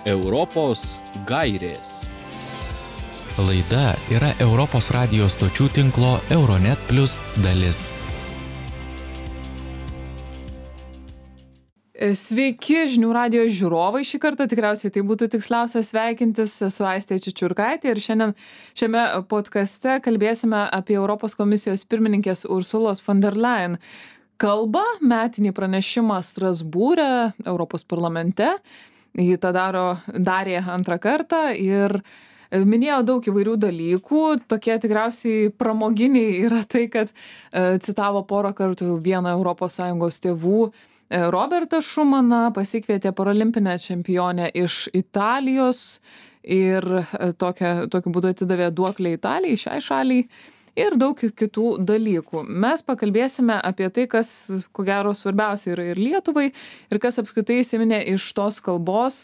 Europos gairės. Laida yra Europos radijos stočių tinklo Euronet Plus dalis. Sveiki žinių radijo žiūrovai, šį kartą tikriausiai tai būtų tiksliausia sveikintis, esu Aistė Čičiurkaitė ir šiandien šiame podcaste kalbėsime apie Europos komisijos pirmininkės Ursulos von der Leyen kalbą, metinį pranešimą Strasbūre, Europos parlamente. Ji tą darė antrą kartą ir minėjo daug įvairių dalykų, tokie tikriausiai pramoginiai yra tai, kad citavo porą kartų vieną ES tėvų Robertą Šumaną, pasikvietė paralimpinę čempionę iš Italijos ir tokiu būdu atidavė duoklę Italijai, šiai šaliai ir daug kitų dalykų. Mes pakalbėsime apie tai, kas, ko gero, svarbiausia yra ir Lietuvai ir kas apskritai įsiminė iš tos kalbos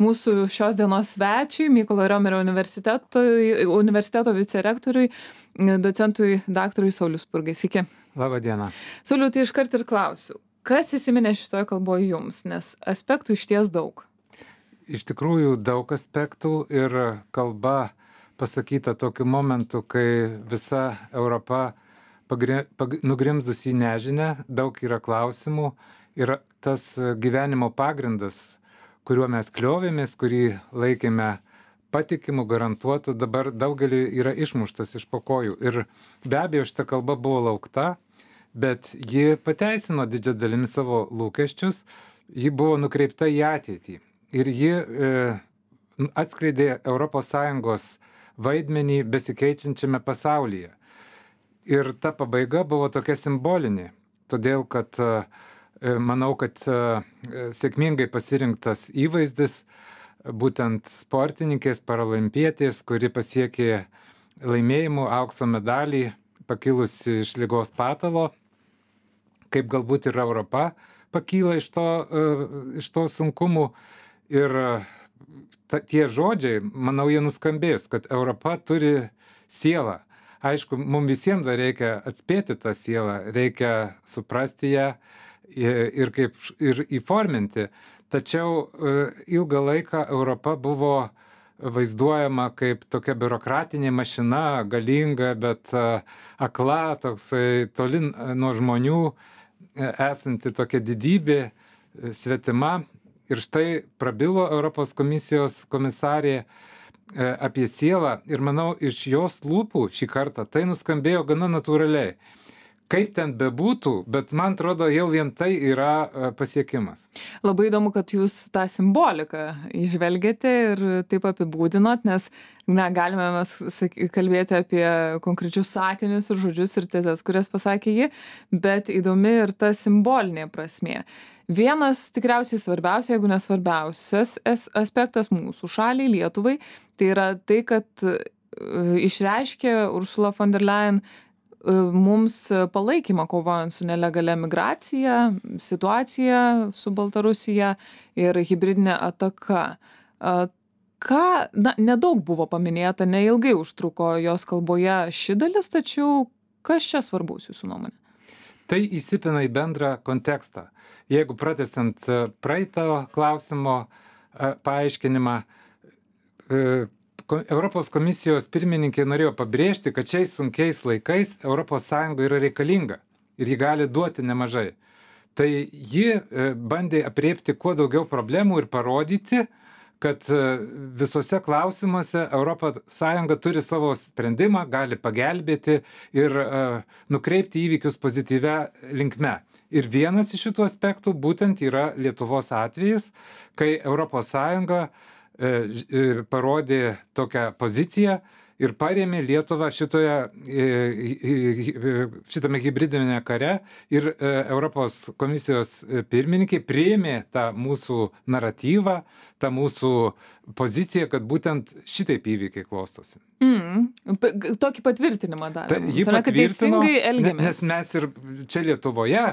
mūsų šios dienos svečiui, Mykolo Riomerio universiteto vicerektoriui, docentui daktarui Sauliui Spurgai. Sveiki. Labą dieną. Sauliau, tai iškart ir klausiu. Kas įsiminė šitoje kalboje jums, nes aspektų išties daug? Iš tikrųjų daug aspektų ir kalba pasakyta tokiu momentu, kai visa Europa nugrimzdus į nežinę, daug yra klausimų ir tas gyvenimo pagrindas, kuriuo mes kliovėmės, kurį laikėme patikimu, garantuotu, dabar daugeliu yra išmuštas iš po kojų. Ir be abejo, šita kalba buvo laukta, bet ji pateisino didžią dalimi savo lūkesčius, ji buvo nukreipta į ateitį ir ji atskleidė ES vaidmenį besikeičiančiame pasaulyje. Ir ta pabaiga buvo tokia simbolinė, todėl kad manau, kad sėkmingai pasirinktas įvaizdis būtent sportininkės, paralimpietės, kuri pasiekė laimėjimų aukso medalį, pakilusi iš ligos patalo, kaip galbūt ir Europa pakyla iš to sunkumų. Ir tie žodžiai, manau, jie nuskambės, kad Europa turi sielą. Aišku, mums visiems dar reikia atspėti tą sielą, reikia suprasti ją ir įforminti. Tačiau ilgą laiką Europa buvo vaizduojama kaip tokia biurokratinė mašina, galinga, bet akla, toksai toli nuo žmonių esanti tokia didybė, svetima. Ir štai prabilo Europos komisijos komisarė apie sielą ir manau, iš jos lūpų šį kartą tai nuskambėjo gana natūraliai. Kaip ten bebūtų, bet man atrodo, jau vien tai yra pasiekimas. Labai įdomu, kad jūs tą simboliką įžvelgėte ir taip apibūdinot, nes galime mes kalbėti apie konkrečius sakinius ir žodžius ir tezes, kurias pasakė ji, bet įdomi ir ta simbolinė prasmė. Vienas tikriausiai svarbiausia, jeigu nesvarbiausias aspektas mūsų šaliai, Lietuvai, tai yra tai, kad išreiškė Ursula von der Leyen mums palaikymą kovojant su nelegalia migracija, situacija su Baltarusija ir hibridinė ataka. Nedaug buvo paminėta, neilgai užtruko jos kalboje ši dalis, tačiau kas čia svarbus jūsų nuomonė? Tai įsipina į bendrą kontekstą. Jeigu pratęsiant praeito klausimo paaiškinimą, Europos komisijos pirmininkė norėjo pabrėžti, kad šiais sunkiais laikais ES yra reikalinga ir ji gali duoti nemažai. Tai ji bandė apriepti kuo daugiau problemų ir parodyti, kad visose klausimuose ES turi savo sprendimą, gali pagelbėti ir nukreipti įvykius pozityvia linkme. Ir vienas iš šitų aspektų būtent yra Lietuvos atvejis, kai ES parodė tokią poziciją ir parėmė Lietuvą šitame hibridinėme kare ir Europos komisijos pirmininkė priėmė tą mūsų naratyvą, tą mūsų poziciją, kad būtent šitaip įvykiai klostosi. Tokį patvirtinimą davė. Ji Kad patvirtino, teisingai elgiamės. nes mes ir čia Lietuvoje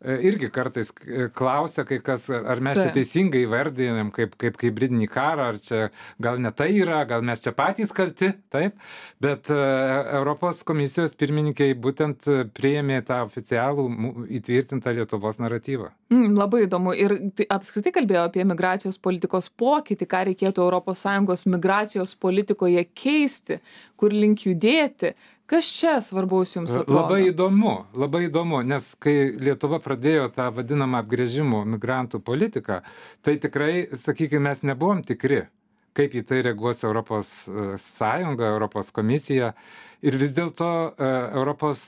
irgi kartais klausia kai kas, ar mes čia teisingai įvardinam kaip hibridinį karą, ar čia gal ne tai yra, gal mes čia patys kalti, taip, bet Europos komisijos pirmininkai būtent priėmė tą oficialų įtvirtintą Lietuvos naratyvą. Labai įdomu. Ir tai apskritai kalbėjo apie migracijos politikos pokytį, ką reikėtų ES migracijos politikoje keisti, kur link judėti. Kas čia svarbaus jums atrodo? Labai įdomu, nes kai Lietuva pradėjo tą vadinamą apgręžimo migrantų politiką, tai tikrai, sakykime, mes nebuvom tikri, kaip į tai reaguos Europos Sąjunga, Europos komisija. Ir vis dėlto Europos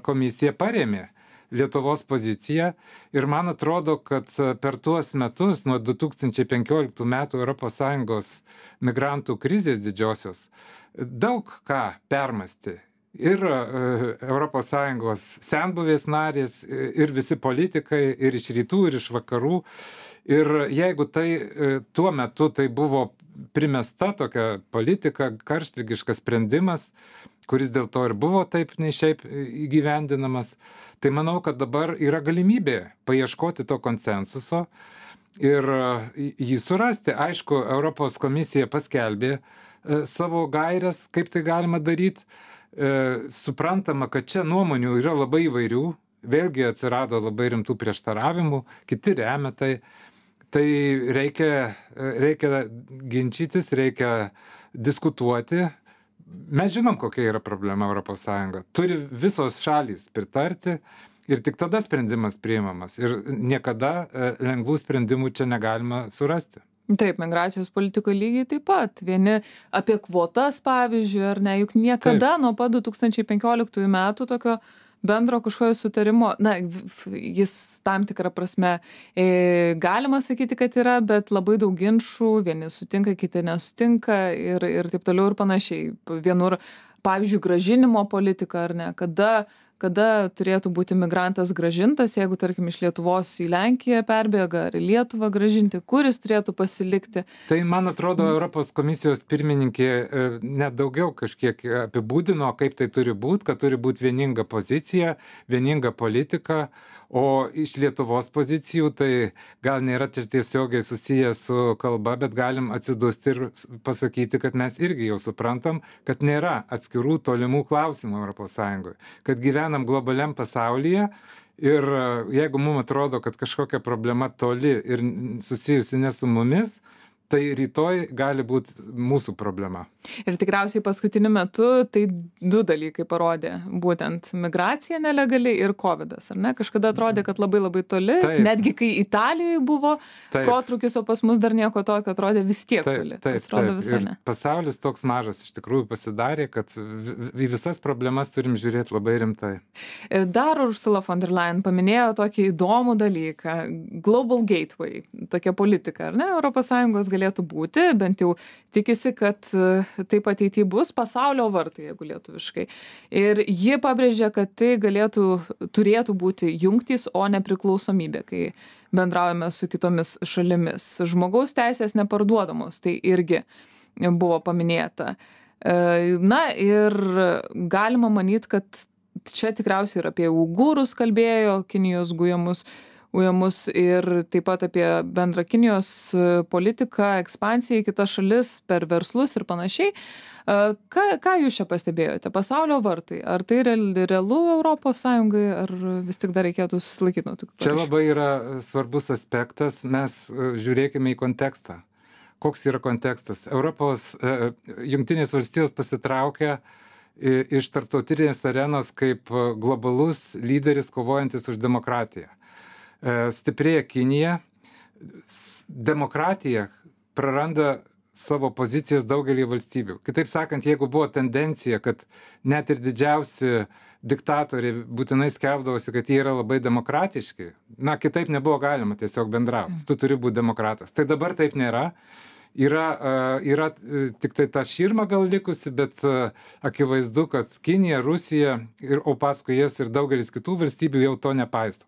komisija parėmė Lietuvos poziciją ir man atrodo, kad per tuos metus, nuo 2015 metų Europos Sąjungos migrantų krizės didžiosios, daug ką permąstė. Ir Europos Sąjungos senbuvės narės, ir visi politikai, ir iš rytų, ir iš vakarų. Ir jeigu tai tuo metu tai buvo primesta tokia politika, karštligiškas sprendimas, kuris dėl to ir buvo taip nei šiaip įgyvendinamas, tai manau, kad dabar yra galimybė paieškoti to konsensuso ir jį surasti. Aišku, Europos komisija paskelbė savo gairias, kaip tai galima daryti. Suprantama, kad čia nuomonių yra labai įvairių, vėlgi atsirado labai rimtų prieštaravimų, kiti remia tai. Tai reikia ginčytis, reikia diskutuoti. Mes žinom, kokia yra problema Europos Sąjunga. Turi visos šalys pritarti ir tik tada sprendimas priimamas. Ir niekada lengvų sprendimų čia negalima surasti. Taip, migracijos politikoje lygiai taip pat. Vieni apie kvotas, pavyzdžiui, ar ne, juk niekada nuo pat 2015 metų tokio bendro kažkokio sutarimo, jis tam tikrą prasme galima sakyti, kad yra, bet labai daug ginčų, vieni sutinka, kiti nesutinka ir taip toliau ir panašiai. Vienur, pavyzdžiui, grąžinimo politika, ar ne, kada turėtų būti migrantas grąžintas, jeigu, tarkim, iš Lietuvos į Lenkiją perbėga, ar į Lietuvą grąžinti, kuris turėtų pasilikti. Tai, man atrodo, Europos komisijos pirmininkė net daugiau kažkiek apibūdino, kaip tai turi būti, kad turi būti vieninga pozicija, vieninga politika, o iš Lietuvos pozicijų tai gal nėra tiesiogiai susiję su kalba, bet galim atsidusti ir pasakyti, kad mes irgi jau suprantam, kad nėra atskirų tolimų klausimų Europos Sąjungoje, kad gyvenam globaliam pasaulyje ir jeigu mums atrodo, kad kažkokia problema toli ir susijusi ne su mumis, tai rytoj gali būti mūsų problema. Ir tikriausiai paskutiniu metu tai du dalykai parodė, būtent migracija nelegali ir covidas, ar ne? Kažkada atrodė, kad labai labai toli, netgi kai Italijoje buvo protrūkis, o pas mus dar nieko tokio atrodė vis tiek toli. Ir pasaulis toks mažas iš tikrųjų pasidarė, kad į visas problemas turim žiūrėti labai rimtai. Dar Ursula von der Leyen paminėjo tokį įdomų dalyką, Global Gateway, tokia politika, ar ne? Europos Sąjungos galėtų būti, bent jau tikisi, kad taip ateityje bus pasaulio vartai, jeigu lietuviškai. Ir ji pabrėžė, kad tai turėtų būti jungtys, o nepriklausomybė, kai bendraujame su kitomis šalimis. Žmogaus teisės neparduodamos, tai irgi buvo paminėta. Ir galima manyti, kad čia tikriausiai ir apie uigūrus kalbėjo, Kinijos gujamus ir taip pat apie bendrą Kinijos politiką, ekspansiją į kitas šalis per verslus ir panašiai. Ką jūs čia pastebėjote? Pasaulio vartai. Ar tai realu Europos Sąjungai, ar vis tik dar reikėtų susilaikyti nuo tokių? Čia labai yra svarbus aspektas. Mes žiūrėkime į kontekstą. Koks yra kontekstas? Jungtinės valstijos pasitraukia iš tarptautinės arenos kaip globalus lyderis kovojantis už demokratiją. Stiprėja Kinija, demokratija praranda savo pozicijas daugelį valstybių. Kitaip sakant, jeigu buvo tendencija, kad net ir didžiausi diktatoriai būtinai skelbdavosi, kad jie yra labai demokratiški, kitaip nebuvo galima tiesiog bendrauti. Tu turi būti demokratas. Tai dabar taip nėra. Yra tik tai ta širma gal likusi, bet akivaizdu, kad Kinija, Rusija, o paskui jas ir daugelis kitų valstybių jau to nepaisto.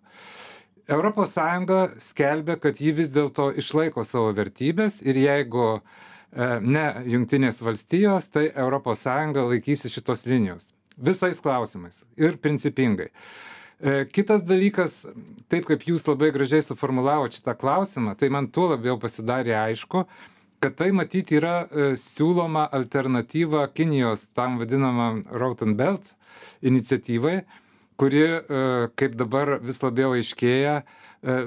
Europos Sąjunga skelbia, kad ji vis dėlto išlaiko savo vertybės ir jeigu ne Jungtinės valstijos, tai ES laikysi šitos linijos. Visais klausimais ir principingai. Kitas dalykas, taip kaip jūs labai gražiai suformulavote šitą klausimą, tai man tuo labiau pasidarė aišku, kad tai matyti yra siūloma alternatyva Kinijos tam vadinamam Road and Belt iniciatyvai, kuri, kaip dabar vis labiau aiškėja,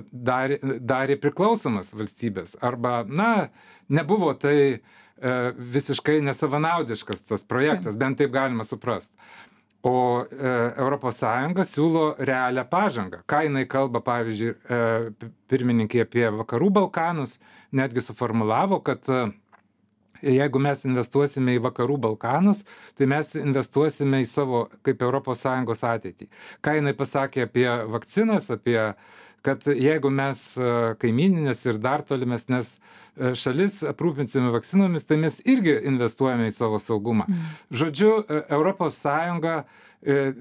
darė priklausomas valstybės. Arba, nebuvo tai visiškai nesavanaudiškas tas projektas, bent taip galima suprasti. O ES siūlo realią pažangą. Ką jinai kalba, pavyzdžiui, pirmininkė apie Vakarų Balkanus, netgi suformulavo, kad jeigu mes investuosime į Vakarų Balkanus, tai mes investuosime į savo kaip ES ateitį. Ką jinai pasakė apie vakcinas, kad jeigu mes kaimininės ir dar tolimesnės šalis aprūpinsime vakcinomis, tai mes irgi investuojame į savo saugumą. Žodžiu, ES,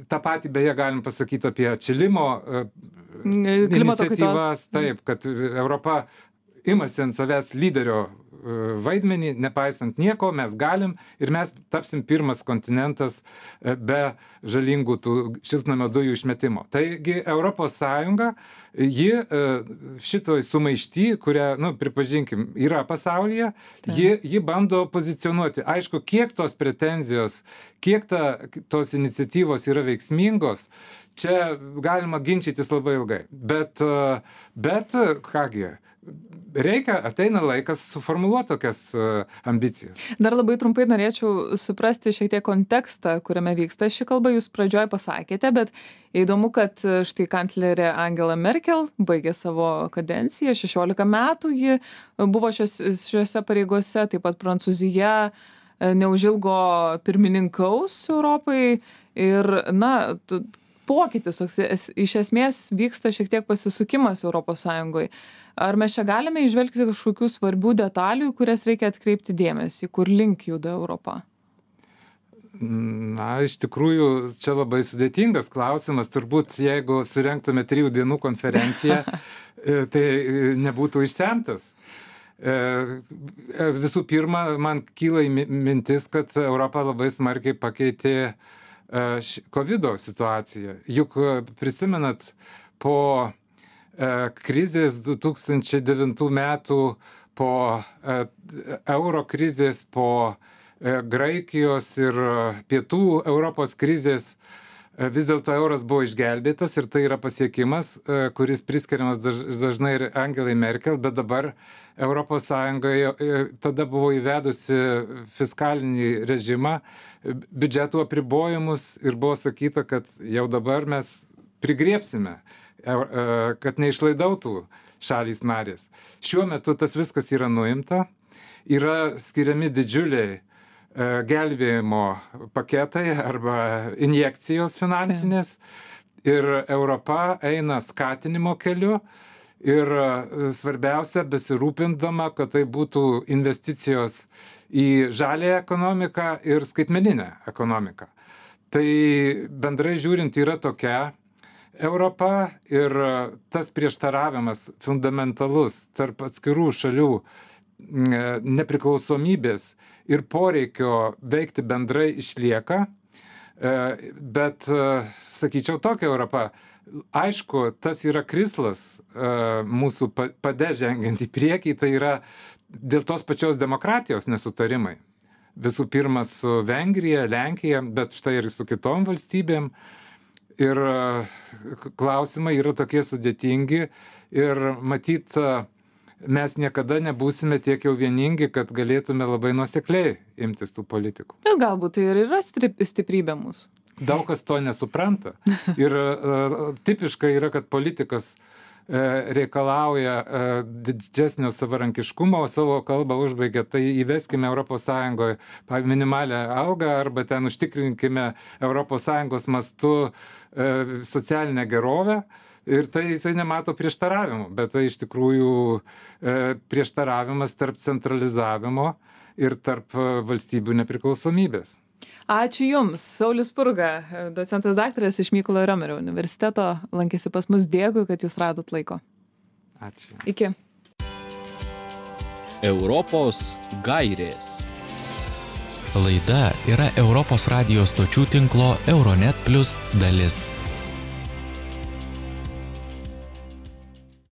tą patį beje galim pasakyti apie atšilimo iniciatyvas, taip, kad Europa imasi ant savęs lyderio vaidmenį, nepaisant nieko, mes galim ir mes tapsim pirmas kontinentas be žalingų tų šiltnamio dujų išmetimo. Taigi ES, ji šitoj sumaišty, kurią, pripažinkim, yra pasaulyje, ji bando pozicionuoti. Aišku, kiek tos pretenzijos, kiek tos iniciatyvos yra veiksmingos, čia galima ginčytis labai ilgai. Bet kągi, ateina laikas suformuluoti tokias ambicijas. Dar labai trumpai norėčiau suprasti šiek tiek kontekstą, kuriame vyksta ši kalba. Jūs pradžioje pasakėte, bet įdomu, kad štai kanclerė Angela Merkel baigė savo kadenciją, 16 metų ji buvo šiuose pareigose, taip pat Prancūzija neužilgo pirmininkaus Europai ir, pokytis toks, iš esmės vyksta šiek tiek pasisukimas ES. Ar mes čia galime įžvelgti kažkokių svarbių detalių, kurias reikia atkreipti dėmesį, kur link juda Europa? Iš tikrųjų, čia labai sudėtingas klausimas. Turbūt, jeigu surengtume 3 dienų konferenciją, tai nebūtų išsemtas. Visų pirma, man kyla mintis, kad Europa labai smarkiai pakeitė COVID situaciją. Juk prisimenat, po krizės 2009 metų, po euro krizės, po Graikijos ir pietų Europos krizės, vis dėlto euras buvo išgelbėtas ir tai yra pasiekimas, kuris priskiriamas dažnai ir Angelai Merkel, bet dabar ES tada buvo įvedusi fiskalinį režimą, biudžetų apribojimus ir buvo sakyta, kad jau dabar mes prigriebsime, kad neišlaidautų šalys narės. Šiuo metu tas viskas yra nuimta, yra skiriami didžiuliai gelbėjimo paketai arba injekcijos finansinės ir Europa eina skatinimo keliu ir svarbiausia besirūpindama, kad tai būtų investicijos į žaliąją ekonomiką ir skaitmeninę ekonomiką. Tai bendrai žiūrint yra tokia Europa ir tas prieštaravimas fundamentalus tarp atskirų šalių nepriklausomybės ir poreikio veikti bendrai išlieka, bet, sakyčiau, tokia Europa. Aišku, tas yra krislas mūsų pade žengiant į priekį, tai yra dėl tos pačios demokratijos nesutarimai. Visų pirma su Vengrija, Lenkija, bet štai ir su kitom valstybėm. Ir klausimai yra tokie sudėtingi ir matyt, mes niekada nebūsime tiek jau vieningi, kad galėtume labai nuosekliai imtis tų politikų. Bet galbūt tai ir yra stiprybė mūsų. Daug kas to nesupranta. Ir tipiška yra, kad politikas reikalauja didesnio savarankiškumo, o savo kalbą užbaigia, tai įveskime ES minimalią algą arba ten užtikrinkime ES mastu socialinę gerovę. Ir tai jisai nemato prieštaravimų, bet tai iš tikrųjų prieštaravimas tarp centralizavimo ir tarp valstybių nepriklausomybės. Ačiū Jums. Saulius Spurga, docentas daktaras iš Mykolo Riomerio universiteto, lankėsi pas mus. Dėkui, kad Jūs radot laiko. Ačiū. Iki. Europos gairės. Laida yra Europos radijos stočių tinklo Euronet Plus dalis.